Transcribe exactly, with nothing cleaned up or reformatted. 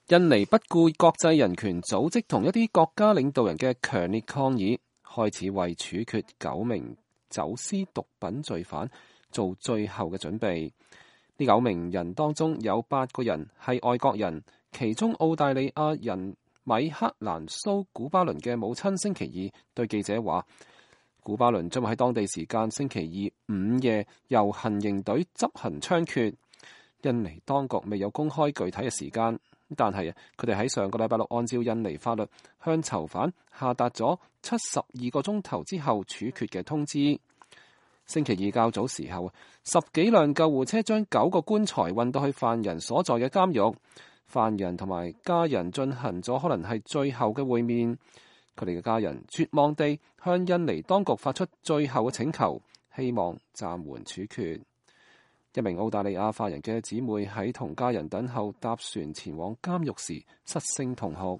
印尼不顧國際人權組織同一啲國家領導人嘅強烈抗議，開始為處決九名走私毒品罪犯做最後嘅準備。呢九名人當中有八個人係外國人，其中澳大利亞人米克蘭蘇古巴倫嘅母親星期二對記者話，古巴倫將會喺當地時間星期二午夜由行刑隊執行槍決。印尼當局未有公開具體嘅時間，但係佢哋喺上個禮拜六按照印尼法律向囚犯下達咗七十二個鐘頭之後處決嘅通知。星期二較早時候，十幾輛救護車將九個棺材運到去犯人所在嘅監獄，犯人同埋家人進行咗可能係最後嘅會面。佢哋嘅家人絕望地向印尼當局發出最後嘅請求，希望暫緩處決。一名澳大利亞犯人嘅姊妹喺同家人等候搭船前往監獄時失聲痛哭。